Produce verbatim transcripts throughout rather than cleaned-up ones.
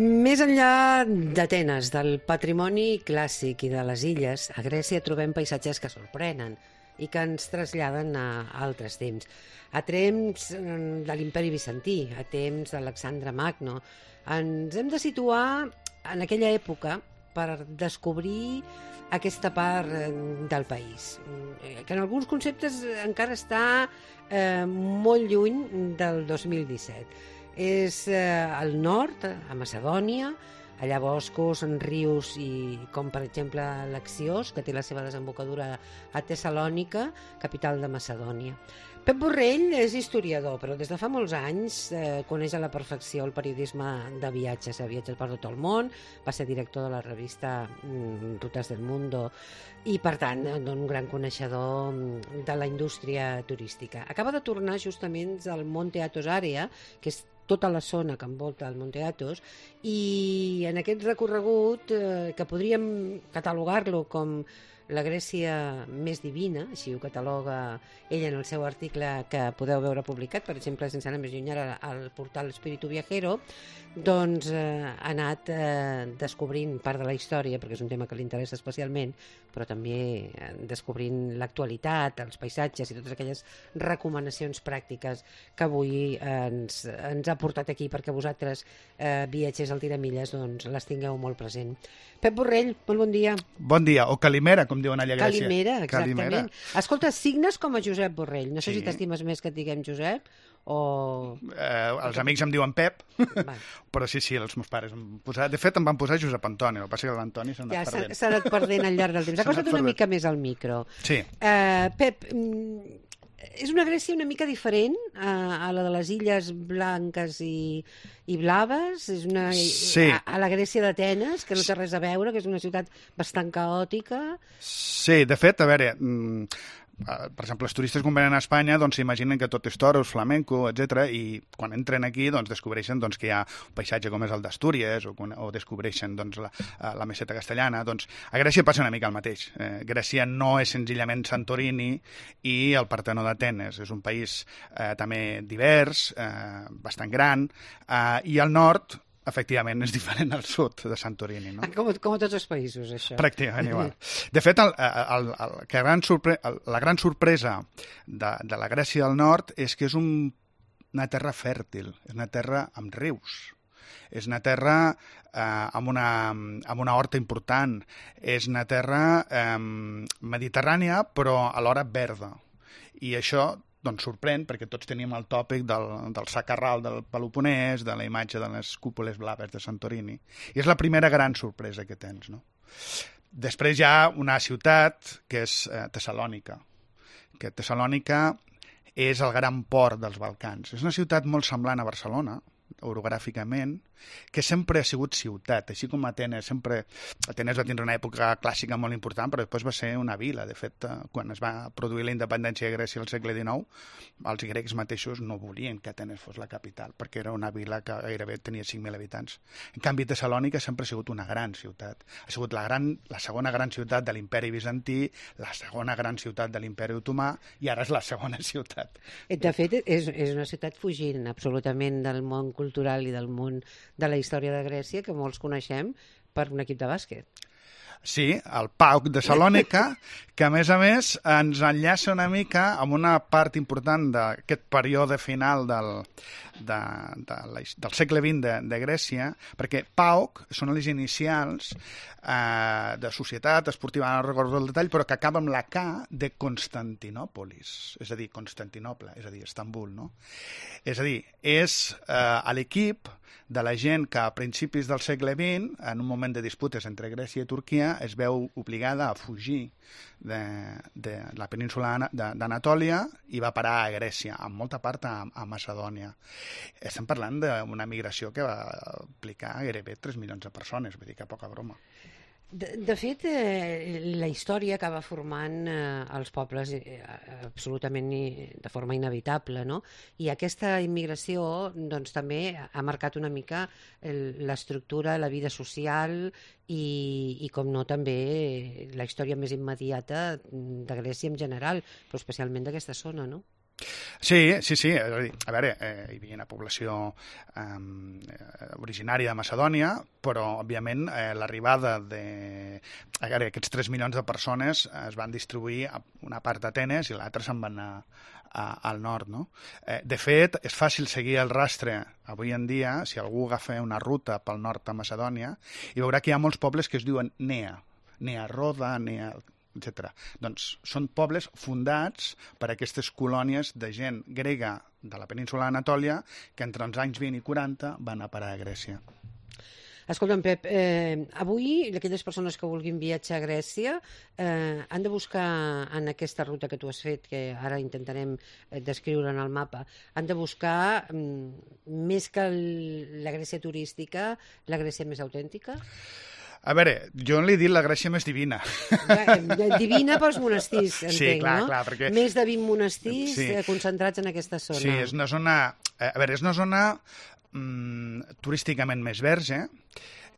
Més enllà d'Atenes, del patrimoni clàssic i de les illes, a Grècia trobem paisatges que sorprenen i que ens traslladen a altres temps. A temps de l'imperi bizantí, a temps d'Alexandre Magno. Ens hem de situar en aquella època per descobrir aquesta part del país, que en alguns conceptes encara està eh, molt lluny del dos mil disset. És eh, al nord, a Macedònia, allà boscos, rius i com per exemple l'Axios, que té la seva desembocadura a Tessalònica, capital de Macedònia. Pep Borrell és historiador, però des de fa molts anys eh, coneix a la perfecció el periodisme de viatges. Ha viatjat per tot el món, va ser director de la revista mm, Rutas del Mundo i, per tant, un gran coneixedor de la indústria turística. Acaba de tornar justament del Monte Athos Area, que és tota la zona que envolta el Monte Athos, i en aquest recorregut, eh, que podríem catalogar-lo com la Grècia més divina, així ho cataloga ell en el seu article que podeu veure publicat, per exemple, sense anar més lluny ara al portal Espíritu Viajero, doncs eh, ha anat eh, descobrint part de la història, perquè és un tema que li interessa especialment, però també eh, descobrint l'actualitat, els paisatges i totes aquelles recomanacions pràctiques que avui eh, ens, ens ha portat aquí perquè vosaltres, eh, viatgers al Tiramilles, doncs les tingueu molt present. Pep Borrell, molt bon dia. Bon dia, o Calimera, com diuen allà a Grècia. Calimera, exactament. Calimera. Escolta, signes com a Josep Borrell. No sé Sí. si t'estimes més que et diguem Josep o... Eh, els amics em diuen Pep, Va. però sí, sí, els meus pares em posar... De fet, em van posar Josep Antoni, el que passa que l'Antoni s'ha anat Ja s'ha perdent. s'ha anat perdent al llarg del temps. S'ha anat Acosta't una perdent. mica més al micro. Sí. Uh, Pep, mm, és una Grècia una mica diferent a, a la de les Illes Blanques i, i Blaves? És una, Sí. a, a la Grècia d'Atenes, que no té res a veure, que és una ciutat bastant caòtica? Sí, de fet, a veure, mm, eh, per exemple, els turistes quan venen a Espanya doncs s'imaginen que tot és toros, flamenco, etcètera, i quan entren aquí doncs descobreixen doncs, que hi ha un paisatge com és el d'Astúries o, quan- o descobreixen doncs, la, eh, la meseta castellana. Doncs a Grècia passa una mica el mateix. Eh, Grècia no és senzillament Santorini i el Partenó d'Atenes. És un país eh, també divers, eh, bastant gran, eh, i al nord efectivament és diferent al sud de Santorini, no? Com, com a tots els països, això. Pràcticament igual. De fet, el, el, el, que gran sorpre el, la gran sorpresa de, de la Grècia del Nord és que és un, una terra fèrtil, és una terra amb rius, és una terra eh, amb, una, amb una horta important, és una terra eh, mediterrània però alhora verda. I això doncs sorprèn, perquè tots teníem el tòpic del, del sacarral del Peloponès, de la imatge de les cúpules blaves de Santorini. I és la primera gran sorpresa que tens, no? Després hi ha una ciutat que és eh, Tessalònica, que Tessalònica és el gran port dels Balcans. És una ciutat molt semblant a Barcelona, orogràficament, que sempre ha sigut ciutat, així com Atenes. Sempre Atenes va tindre una època clàssica molt important, però després va ser una vila. De fet, quan es va produir la independència de Grècia al segle dinou, els grecs mateixos no volien que Atenes fos la capital, perquè era una vila que gairebé tenia cinc mil habitants. En canvi, Tessalònica sempre ha sigut una gran ciutat. Ha sigut la, gran, la segona gran ciutat de l'imperi bizantí, la segona gran ciutat de l'imperi otomà, i ara és la segona ciutat. De fet, és, és una ciutat fugint absolutament del món cultural i del món de la història de Grècia, que molts coneixem per un equip de bàsquet. Sí, el PAOK de Salònica, que a més a més ens enllaça una mica amb una part important d'aquest període final del, de, de la, del segle vint de, de Grècia, perquè PAOK són les inicials eh, de Societat Esportiva, no recordo el detall, però que acaba amb la K de Constantinòpolis, és a dir, Constantinoble, és a dir, Estambul, no? És a dir, és eh, l'equip de la gent que a principis del segle vint, en un moment de disputes entre Grècia i Turquia, es veu obligada a fugir de, de la península d'Anatòlia i va parar a Grècia, amb molta part a, a Macedònia. Estem parlant d'una migració que va aplicar gairebé tres milions de persones, vull dir que poca broma. De, de fet, eh, la història acaba formant eh, els pobles eh, absolutament i, de forma inevitable, no? I aquesta immigració doncs, també ha marcat una mica l'estructura, la vida social i, i com no, també la història més immediata de Grècia en general, però especialment d'aquesta zona, no? Sí, sí, sí. És a dir, a veure, eh, hi havia una població eh, originària de Macedònia, però, òbviament, eh, l'arribada de... A veure, aquests tres milions de persones es van distribuir a una part d'Atenes i l'altra se'n van anar a, al nord, no? Eh, de fet, és fàcil seguir el rastre avui en dia, si algú agafa una ruta pel nord de Macedònia, i veurà que hi ha molts pobles que es diuen Nea, Nea Roda, Nea... etcètera. Doncs són pobles fundats per aquestes colònies de gent grega de la península d'Anatòlia que entre els anys vint i quaranta van a parar a Grècia. Escolta'm, Pep, eh, avui aquelles persones que vulguin viatjar a Grècia eh, han de buscar en aquesta ruta que tu has fet, que ara intentarem eh, descriure en el mapa, han de buscar, mm, més que el, la Grècia turística, la Grècia més autèntica? A veure, jo li he dit la Grècia més divina. Divina pels monestirs, entenc, sí, clar, no? Clar, perquè... Més de vint monestirs sí. concentrats en aquesta zona. Sí, és una zona... A veure, és una zona mm, turísticament més verge,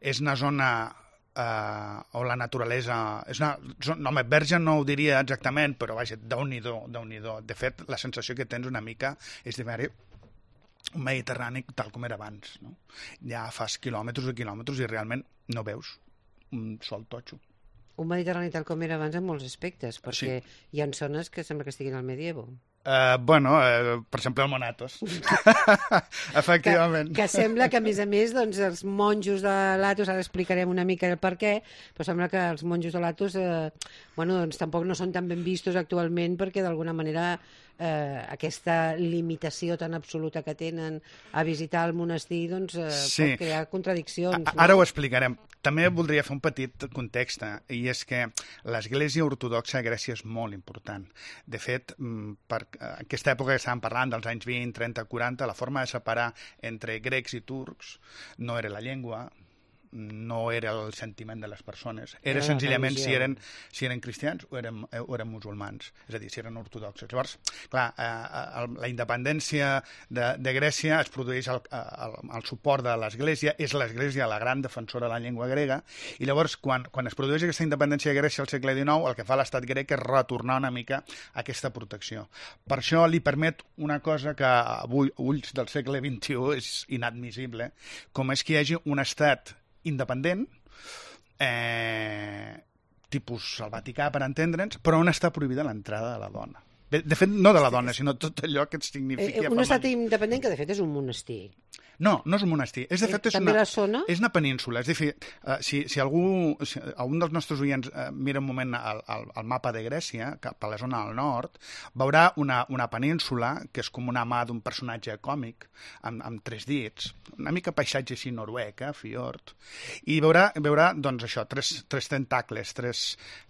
és una zona eh, on la naturalesa... És una... No, home, verge no ho diria exactament, però vaja, déu-n'hi-do, déu-n'hi-do. De fet, la sensació que tens una mica és de veure un Mediterrani tal com era abans, no? Ja fas quilòmetres i quilòmetres i realment no veus un sol totxo. Un Mediterrani tal com era abans en molts aspectes, perquè sí. hi ha zones que sembla que estiguin al medievo. Uh, bueno, uh, per exemple, el Monatos. Efectivament. Que, que sembla que, a més a més, doncs, els monjos de l'Atos, ara explicarem una mica el per què, però sembla que els monjos de l'Atos eh, bueno, doncs, tampoc no són tan ben vistos actualment perquè, d'alguna manera, eh, aquesta limitació tan absoluta que tenen a visitar el monestir doncs, eh, sí. pot crear contradiccions. A, ara no? Ho explicarem. També voldria fer un petit context, i és que l'Església Ortodoxa a Grècia és molt important. De fet, per aquesta època que estàvem parlant, dels anys vint, trenta, quaranta, la forma de separar entre grecs i turcs no era la llengua, no era el sentiment de les persones, era, era senzillament si eren, si eren cristians o eren, o eren musulmans, és a dir, si eren ortodoxos. Llavors, clar, eh, la independència de, de Grècia es produeix al el, el suport de l'Església, és l'Església la gran defensora de la llengua grega, i llavors, quan, quan es produeix aquesta independència de Grècia al segle dinou, el que fa l'estat grec és retornar una mica a aquesta protecció. Per això li permet una cosa que avui, ulls del segle vint-i-u, és inadmissible, com és que hi hagi un estat independent, eh, tipus el Vaticà, per entendre'ns, però on està prohibida l'entrada de la dona. De, de fet, no de la dona, sinó tot allò que et significa... Eh, un estat independent que, de fet, és un monestir. No, no és un monestir. És, de fet, és També una, la zona? És una península. És a dir, uh, si, si algú, si algun dels nostres oients uh, mira un moment el, el, el mapa de Grècia, cap a la zona del nord, veurà una, una península que és com una mà d'un personatge còmic, amb, amb tres dits, una mica paisatge així noruec, eh, fiord, i veurà, veurà doncs això, tres, tres tentacles, tres,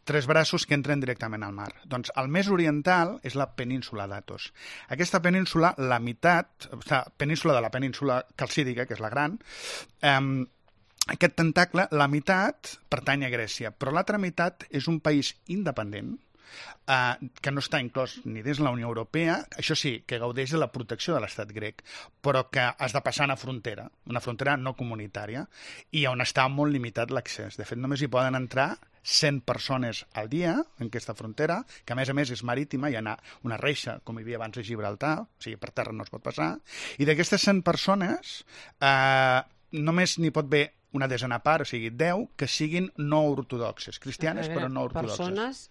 tres braços que entren directament al mar. Doncs el més oriental és la península d'Atos. Aquesta península, la meitat, o sigui, península de la península calcídica, que és la gran, eh, aquest tentacle, la meitat pertany a Grècia, però l'altra meitat és un país independent, eh, que no està inclòs ni dins la Unió Europea, això sí, que gaudeix de la protecció de l'estat grec, però que has de passar una frontera, una frontera no comunitària, i on està molt limitat l'accés. De fet, només hi poden entrar cent persones al dia en aquesta frontera, que a més a més és marítima, hi ha una reixa, com hi havia abans a Gibraltar, o sigui, per terra no es pot passar, i d'aquestes cent persones eh, només n'hi pot haver una desena part, o sigui, deu, que siguin no ortodoxes, cristianes però no ortodoxes. Persones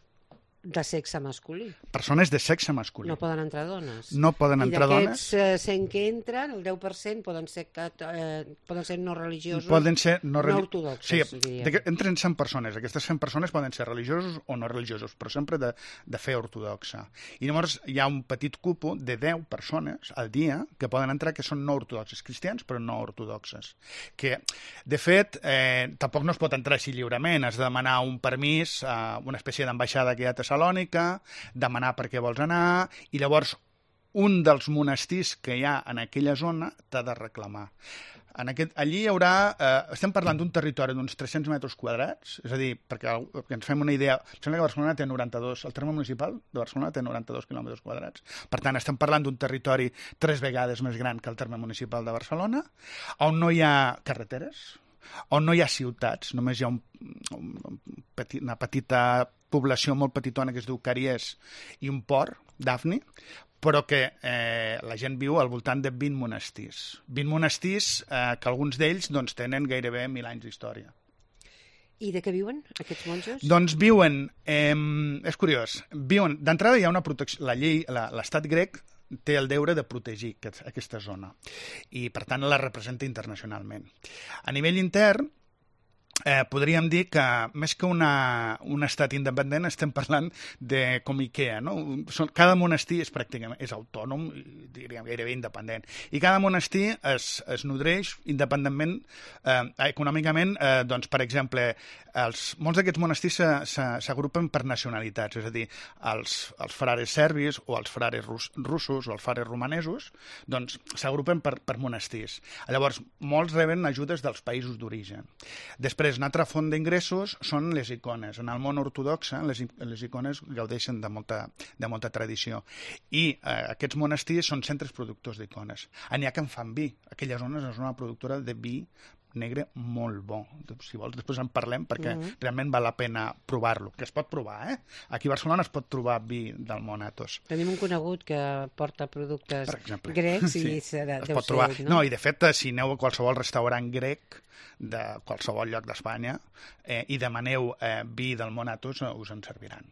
de sexe masculí. Persones de sexe masculí. No poden entrar dones. No poden entrar dones. I d'aquests cent que entren, el deu per cent poden ser, eh, poden ser no religiosos, poden ser no, no ortodoxos, sí, diríem. Entren cent persones. Aquestes cent persones poden ser religiosos o no religiosos, però sempre de, de fe ortodoxa. I llavors hi ha un petit cupo de deu persones al dia que poden entrar que són no ortodoxes, cristians però no ortodoxes. Que, de fet, eh, tampoc no es pot entrar així lliurement. Has de demanar un permís a una espècie d'ambaixada que hi ha a Tessalònica, demanar per què vols anar, i llavors un dels monestirs que hi ha en aquella zona t'ha de reclamar. En aquest, allí hi haurà, eh, estem parlant d'un territori d'uns tres-cents metres quadrats, és a dir, perquè, perquè ens fem una idea, em sembla que Barcelona té noranta-dos, el terme municipal de Barcelona té noranta-dos quilòmetres quadrats, per tant estem parlant d'un territori tres vegades més gran que el terme municipal de Barcelona, on no hi ha carreteres, on no hi ha ciutats, només hi ha un, un, petit, una petita població molt petitona que es diu Caries i un port, Dafni, però que eh, la gent viu al voltant de vint monestirs. vint monestirs eh, que alguns d'ells doncs, tenen gairebé mil anys d'història. I de què viuen, aquests monjos? Doncs viuen, eh, és curiós, viuen, d'entrada hi ha una protecció, la llei, la, l'estat grec té el deure de protegir aquest, aquesta zona i, per tant, la representa internacionalment. A nivell intern, eh, podríem dir que més que una, un estat independent estem parlant de com IKEA, no? Són, cada monestir és pràcticament és autònom, diríem gairebé independent, i cada monestir es, es nodreix independentment, eh, econòmicament, eh, doncs, per exemple, els, molts d'aquests monestirs s'agrupen per nacionalitats, és a dir, els, els frares serbis o els frares rus, russos o els frares romanesos, doncs s'agrupen per, per monestirs. Llavors, molts reben ajudes dels països d'origen. Després, una altra font d'ingressos són les icones. En el món ortodoxe, les, les icones gaudeixen de molta, de molta tradició. I eh, aquests monestirs són centres productors d'icones. N'hi ha que en fan vi. Aquella zona és una productora de vi negre molt bo. Si vols, després en parlem, perquè mm-hmm. realment val la pena provar-lo. Que es pot provar, eh? Aquí a Barcelona es pot trobar vi del món Athos. Tenim un conegut que porta productes exemple, grecs i sí, serà, es deu pot trobar. ser, no? No, i de fet, si aneu a qualsevol restaurant grec de qualsevol lloc d'Espanya eh, i demaneu eh, vi del món Athos, us en serviran.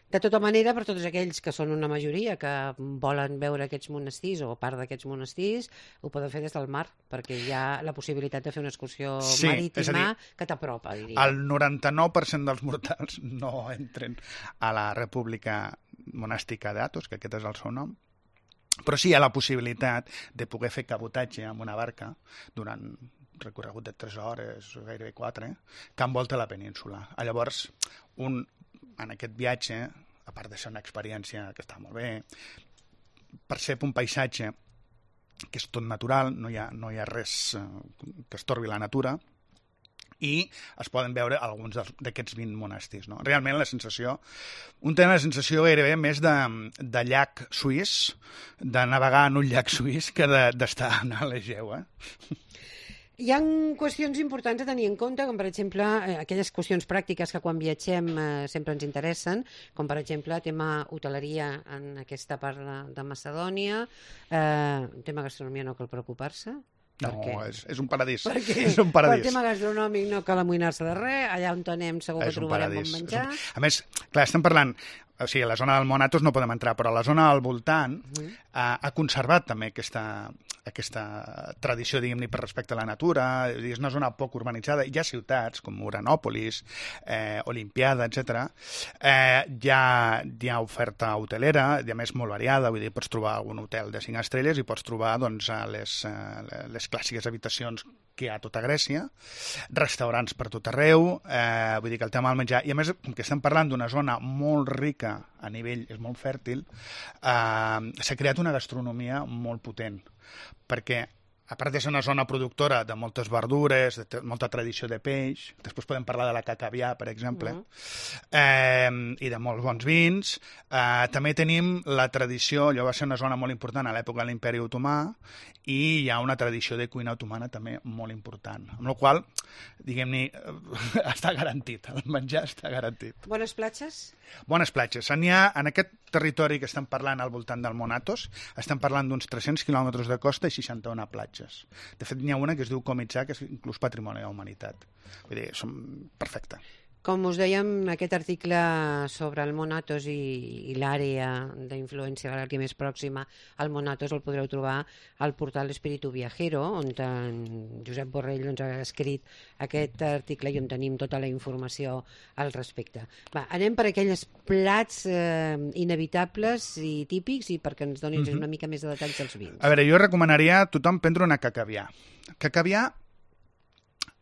De tota manera, per tots aquells que són una majoria que volen veure aquests monestirs o part d'aquests monestirs, ho poden fer des del mar, perquè hi ha la possibilitat de fer una excursió sí, marítima dir, que t'apropa, diria. El noranta-nou per cent dels mortals no entren a la República Monàstica d'Athos, que aquest és el seu nom, però sí hi ha la possibilitat de poder fer cabotatge amb una barca durant recorregut de tres hores, gairebé quatre, que envolta la península. Llavors, un en aquest viatge, a part de ser una experiència que està molt bé, percep un paisatge que és tot natural, no hi ha, no hi ha res que estorbi la natura, i es poden veure alguns d'aquests vint monestirs. No? Realment la sensació, un té la sensació gairebé més de, de llac suís, de navegar en un llac suís, que d'estar de, a l'Egeu, eh? Hi ha qüestions importants a tenir en compte, com per exemple eh, aquelles qüestions pràctiques que quan viatgem eh, sempre ens interessen, com per exemple tema hoteleria en aquesta part de, de Macedònia, eh, tema gastronomia no cal preocupar-se. No, és, és un paradís. Perquè és un paradís. Per tema gastronòmic no cal amoïnar-se de res, allà on anem segur que trobarem bon menjar. Un... A més, clar, estem parlant, o sigui, a la zona del món Athos no podem entrar, però a la zona al voltant uh -huh. ha, ha conservat també aquesta, aquesta tradició, diguem-ne, per respecte a la natura. És una zona poc urbanitzada. Hi ha ciutats com Uranòpolis, eh, Olimpiada, etcètera. Eh, hi, ha, hi ha oferta hotelera, i a més molt variada, vull dir, pots trobar algun hotel de cinc estrelles i pots trobar doncs, les, les clàssiques habitacions que hi ha a tota Grècia, restaurants per tot arreu, eh, vull dir que el tema del menjar, i a més, com que estem parlant d'una zona molt rica a nivell, és molt fèrtil, eh, s'ha creat una gastronomia molt potent, perquè a part de ser una zona productora de moltes verdures, de molta tradició de peix, després podem parlar de la cacavià, per exemple, uh-huh. eh, i de molts bons vins. Eh, també tenim la tradició, allò va ser una zona molt important a l'època de l'Imperi Otomà, i hi ha una tradició de cuina otomana també molt important. Amb la qual cosa, diguem-ne, està garantit, el menjar està garantit. Bones platges? Bones platges. N'hi ha, en aquest territori que estem parlant al voltant del món Athos, estem parlant d'uns tres-cents quilòmetres de costa i seixanta-una platges. De fet, n'hi ha una que es diu Komiča, que és inclús patrimoni de la humanitat. Vull dir, són perfecte. Com us dèiem, aquest article sobre el món Athos i, i l'àrea d'influència l'àrea més pròxima al món Athos el podreu trobar al portal Espíritu Viajero, on en Josep Borrell doncs, ha escrit aquest article i on tenim tota la informació al respecte. Va, anem per aquells plats eh, inevitables i típics i perquè ens donis mm-hmm. una mica més de detalls dels vins. A veure, jo recomanaria a tothom prendre una cacavià. Cacavià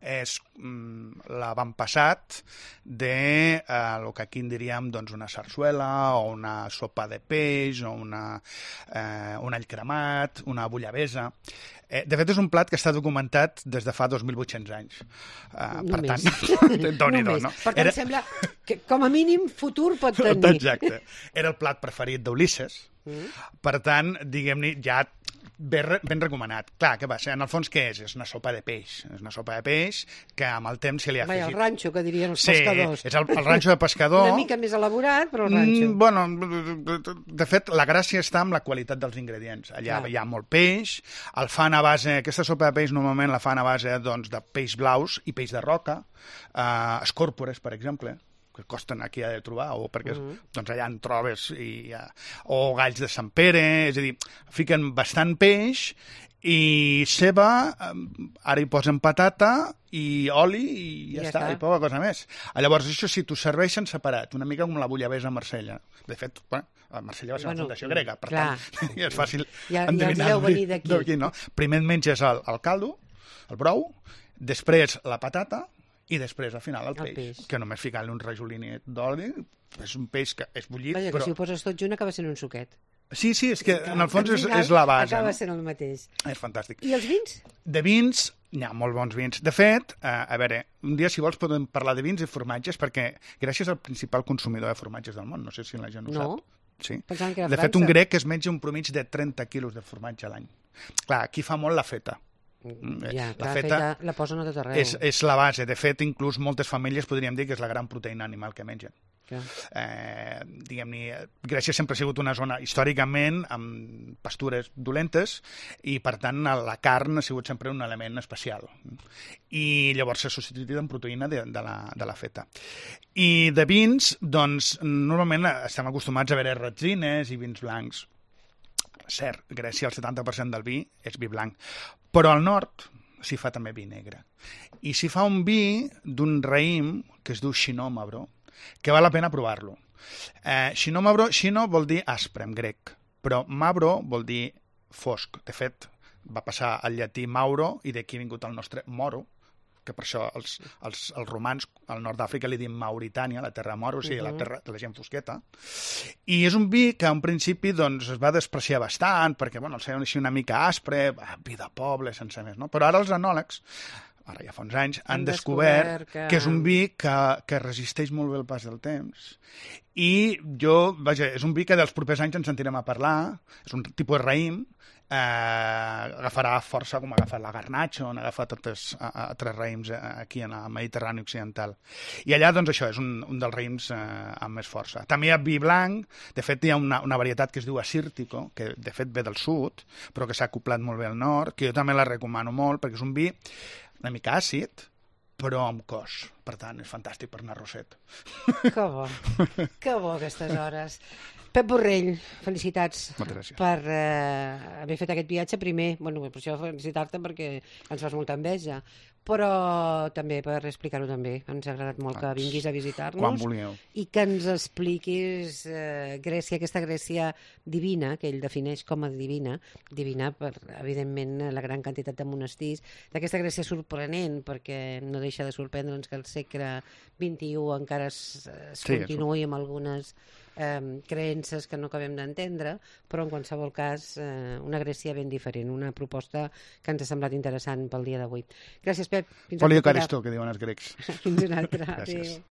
és mm, l'avantpassat de eh, el que aquí en diríem doncs, una sarsuela o una sopa de peix o una, eh, un all cremat, una bullabesa. Eh, de fet, és un plat que està documentat des de fa dos mil vuit-cents anys. Eh, per tant, doni-do, no? Per tant, Era... sembla que com a mínim futur pot tenir. Exacte. Era el plat preferit d'Ulisses. Mm. Per tant, diguem-ne, ja ben, ben recomanat. Clar, què va ser? En el fons, què és? És una sopa de peix. És una sopa de peix que amb el temps se li ha Vai, afegit... el ranxo, que dirien els sí, pescadors. Sí, és el, el ranxo de pescador. Una mica més elaborat, però el ranxo. Mm, bueno, de fet, la gràcia està en la qualitat dels ingredients. Allà ah. hi ha molt peix, el fan a base... Aquesta sopa de peix normalment la fan a base doncs, de peix blaus i peix de roca, eh, escòrpores, per exemple, que costen aquí a de trobar, o perquè uh -huh. doncs allà en trobes, i, uh, o galls de Sant Pere, és a dir, fiquen bastant peix i ceba, ara hi posen patata i oli i ja, ja està, està, i poca cosa més. Llavors, això sí, t'ho serveixen separat, una mica com la bullabessa a Marsella. De fet, bueno, a Marsella va ser bueno, una fundació grega, per clar. tant, és fàcil ja, endevinar. Ja venir d'aquí. No? Primer et menges el, el caldo, el brou, després la patata, i després, al final, el, el peix, peix, que només ficant-li un rajolinet d'oli, és un peix que és bullit, Vaja, però... que si ho poses tot junt acaba sent un suquet. Sí, sí, és que en el fons és, és la base. Acaba no? sent el mateix. És fantàstic. I els vins? De vins, hi ha molt bons vins. De fet, eh, a veure, un dia, si vols, podem parlar de vins i formatges, perquè Grècia és el principal consumidor de formatges del món. No sé si la gent ho no. sap. Sí. Pensant que era de França. fet, un grec es menja un promig de trenta quilos de formatge a l'any. Clar, aquí fa molt la feta. Ja, la la feta, feta la posen a tot arreu. És, és la base. De fet, inclús moltes famílies podríem dir que és la gran proteïna animal que mengen. Ja. Eh, diguem-ne, Grècia sempre ha sigut una zona històricament amb pastures dolentes i, per tant, la carn ha sigut sempre un element especial. I llavors s'ha substituït en proteïna de, de, la, de la feta. I de vins, doncs, normalment estem acostumats a veure retzines i vins blancs. Cert, Grècia el setanta per cent del vi és vi blanc, però al nord s'hi fa també vi negre. I s'hi fa un vi d'un raïm que es diu Xinomabro, que val la pena provar-lo. Eh, Xinomabro, Xino vol dir aspre en grec, però Mabro vol dir fosc. De fet, va passar al llatí Mauro i d'aquí ha vingut el nostre Moro, que per això els, els, els romans al nord d'Àfrica li diuen Mauritània, la terra moro, o sigui, uh -huh. la terra de la gent fosqueta. I és un vi que, en principi, doncs, es va despreciar bastant, perquè, bueno, el feien així una mica aspre, vi de poble, sense més, no? Però ara els enòlegs, ara ja fa uns anys, han, han descobert, descobert que... que és un vi que, que resisteix molt bé el pas del temps. I jo, vaja, és un vi que dels propers anys ens sentirem a parlar, és un tipus de raïm, eh, agafarà força com ha agafat la garnatxa, on ha agafat altres, altres raïms aquí en el Mediterrani occidental. I allà, doncs, això és un, un dels raïms eh, amb més força. També hi ha vi blanc, de fet hi ha una, una varietat que es diu Assírtico, que de fet ve del sud, però que s'ha acoplat molt bé al nord, que jo també la recomano molt, perquè és un vi una mica àcid, però amb cos. Per tant, és fantàstic per anar a Roset. Que bo, que bo aquestes hores. Pep Borrell, felicitats per eh, haver fet aquest viatge. Primer, bueno, per això felicitar-te perquè ens fas molta enveja, però també per explicar-ho també. Ens ha agradat molt que vinguis a visitar-nos. Quan vulgueu. I que ens expliquis eh, Grècia, aquesta Grècia divina, que ell defineix com a divina, divina per, evidentment, la gran quantitat de monestirs, d'aquesta Grècia sorprenent, perquè no deixa de sorprendre'ns que el segle vint-i-u encara es, es sí, continuï amb algunes eh, creences que no acabem d'entendre, però en qualsevol cas eh, una Grècia ben diferent, una proposta que ens ha semblat interessant pel dia d'avui. Gràcies, Pep. Polio caristo, que diuen els grecs. Fins una altra. Gràcies. Adéu.